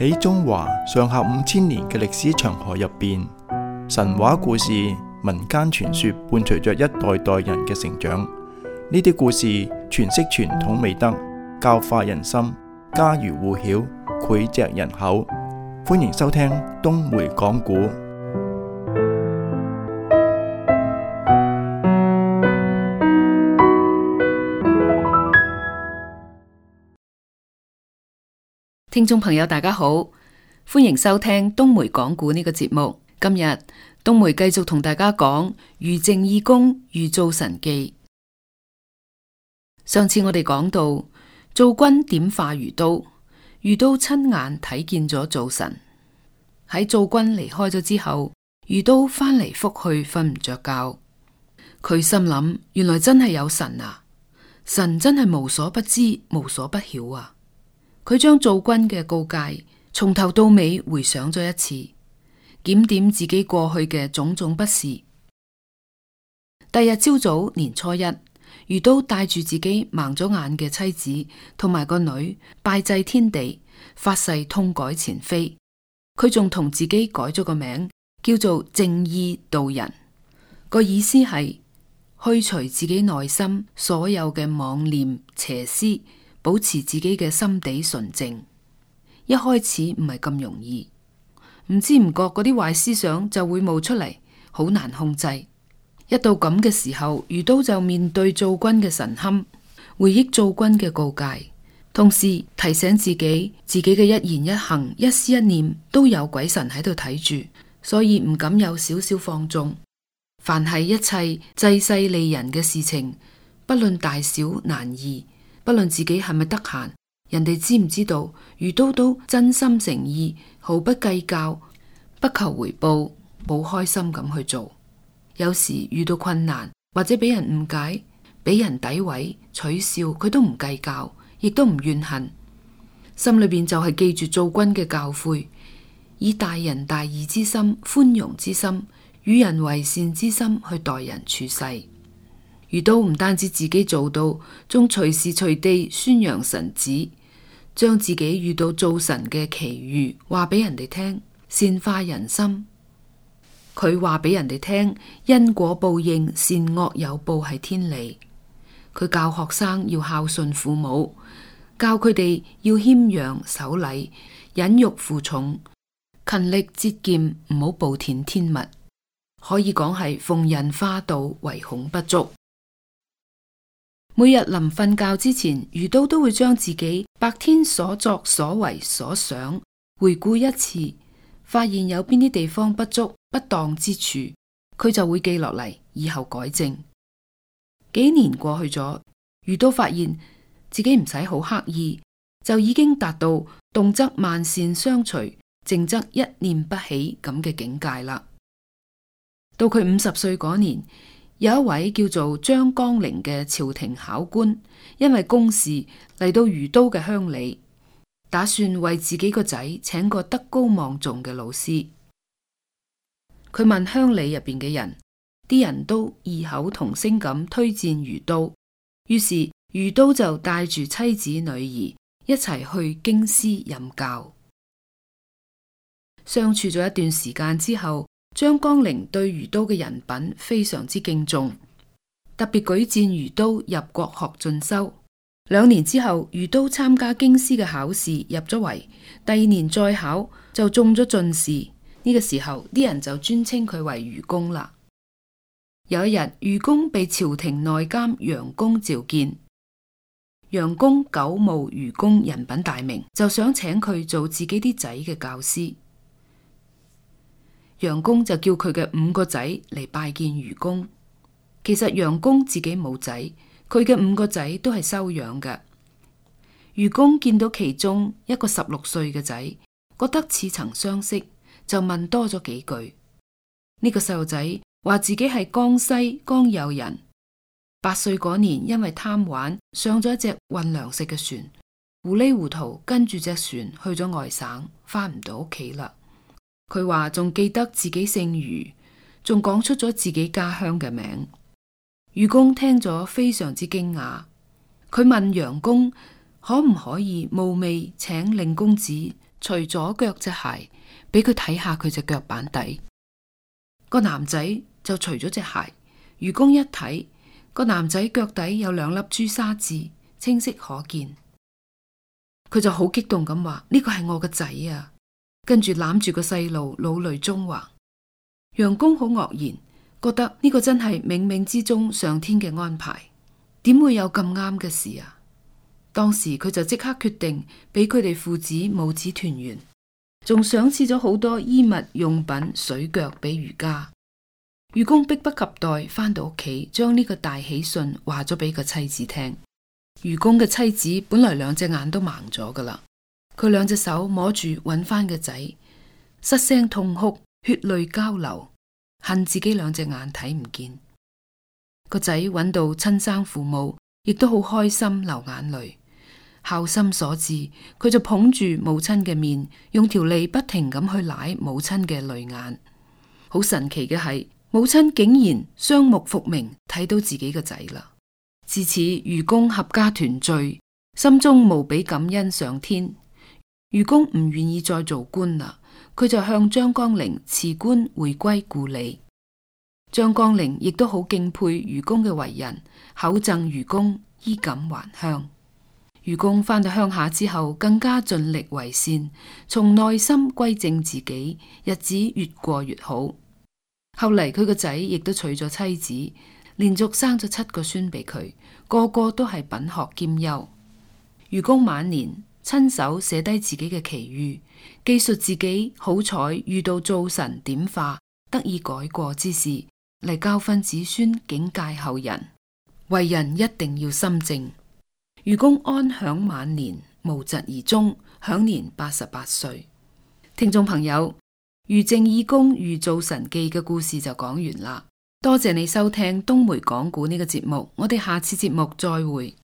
喺中華上下5000年嘅歷史長河入邊，神話故事、民間傳說伴隨着一代代人嘅成長。呢啲故事詮釋傳統美德，教化人心，家喻戶曉，膾炙人口。歡迎收聽東梅講古。聽眾朋友大家好，歡迎收聽東梅講古呢個節目。今日東梅繼續同大家講余淨義公遇灶神記。上次我哋講到灶君點化余都，余都親眼睇見咗灶神。喺灶君離開咗之後，余都翻嚟覆去瞓唔着覺。佢心諗，原來真係有神啊！神真係無所不知，無所不曉啊！佢將灶君嘅告誡從頭到尾回想咗一次，檢點自己過去嘅種種不是。第日朝早年初一，余都帶住自己盲咗眼嘅妻子同埋個女拜祭天地，發誓痛改前非。佢仲同自己改咗個名，叫做淨義道人，個意思係去除自己內心所有嘅妄念邪思，保持自己嘅心地純正。一開始唔係咁容易，唔知唔覺嗰啲壞思想就會冒出嚟，好難控制。一到咁嘅時候，余都就面對灶君嘅神龕，回憶灶君嘅告誡，同時提醒自己嘅一言一行、一思一念都有鬼神喺度睇住，所以唔敢有少少放縱。凡係一切濟世利人嘅事情，不論大小難易，不論自己係咪得閒，人哋知唔知道，余都都真心誠意，毫不計較，不求回報，好開心咁去做。有時遇到困難或者俾人誤解、俾人詆毀、取笑，佢都唔計較，亦都唔怨恨，心裏邊就係記住灶君嘅教誨，以大仁大義之心、寬容之心、與人為善之心去待人處世。余都唔單止自己做到，仲隨時隨地宣揚神旨，將自己遇到灶神嘅奇遇話俾人哋聽，善化人心。佢話俾人哋聽，因果報應、善惡有報係天理。佢教學生要孝順父母，教佢哋要謙讓守禮、忍辱負重、勤力節儉，唔好暴殄天物。可以講係逢人化導，唯恐不足。每日臨瞓覺之前，余都都會將自己白天所作所為所想回顧一次，發現有邊啲地方不足、不當之處，佢就會記落嚟，以後改正。幾年過去咗，余都發現自己唔使好刻意，就已經達到動則萬善相隨，靜則一念不起咁嘅境界啦。到佢50歲嗰年，有一位叫做張綱陵嘅朝廷考官，因為公事嚟到余都嘅鄉里，打算為自己個仔請個德高望重嘅老師。佢問鄉里入邊嘅人，啲人都異口同聲咁推薦余都，於是余都就帶住妻子女兒一齊去京師任教。相處咗一段時間之後，張綱陵對余都嘅人品非常之敬重，特別舉薦余都入國學進修。2年之後，余都參加京師嘅考試入咗圍，第2年再考就中咗進士。呢個時候啲人就尊稱佢為余公啦。有一日，余公被朝廷內監楊公召見，楊公久慕余公人品大名，就想請佢做自己啲仔嘅教師。楊公就叫佢嘅5個仔嚟拜見余公。其實楊公自己冇仔，佢嘅5個仔都係收養嘅。余公見到其中一個16歲嘅仔，覺得似曾相識，就問多咗幾句。呢個細路仔話自己係江西江右人，8歲嗰年因為貪玩上咗一隻運糧食嘅船，糊裏糊塗跟住隻船去咗外省，翻唔到屋企啦。佢話仲記得自己姓余，仲講出咗自己家鄉嘅名。余公聽咗非常之驚訝，佢問楊公可唔可以冒昧請令公子除咗腳隻鞋，俾佢睇下佢隻腳板底。個男仔就除咗隻鞋，愚公一睇，個男仔腳底有2粒朱砂痣，清晰可見。佢就好激動咁話：呢個係我個仔啊！跟住攬住個細路，老淚縱橫。楊公好愕然，覺得呢個真係冥冥之中上天嘅安排，點會有咁啱嘅事啊？當時佢就即刻決定俾佢哋父子母子團圓，仲賞賜咗好多衣物用品、水腳俾余家。愚公迫不及待返到屋企，將呢個大喜訊話咗俾個妻子聽。愚公嘅妻子本來2隻眼都盲咗噶啦，佢2隻手摸住揾翻個仔，失聲痛哭，血淚交流，恨自己2隻眼睇唔見。個仔揾到親生父母，亦都好開心流眼淚。孝心所致，佢就捧住母親嘅面，用條脷不停咁去舐母親嘅淚眼。好神奇嘅係，母親竟然雙目復明，睇到自己個仔啦。自此，愚公合家團聚，心中無比感恩上天。愚公唔願意再做官啦，佢就向張江陵辭官回歸故里。張江陵亦都好敬佩愚公嘅為人，厚贈愚公衣錦還鄉。愚公返到鄉下之後，更加盡力為善，從內心歸正自己，日子越過越好。後嚟佢個仔亦都娶咗妻子，連續生咗7個孫俾佢，個個都係品學兼優。愚公晚年親手寫低自己嘅奇遇，記述自己好彩遇到灶神點化，得以改過之事，嚟教訓子孫，警戒後人。為人一定要心正。愚公安享晚年，無疾而終，享年88歲。聽眾朋友，愚鄭懿公遇灶神記嘅故事就講完啦。多謝你收聽東梅講古呢個節目，我哋下次節目再會。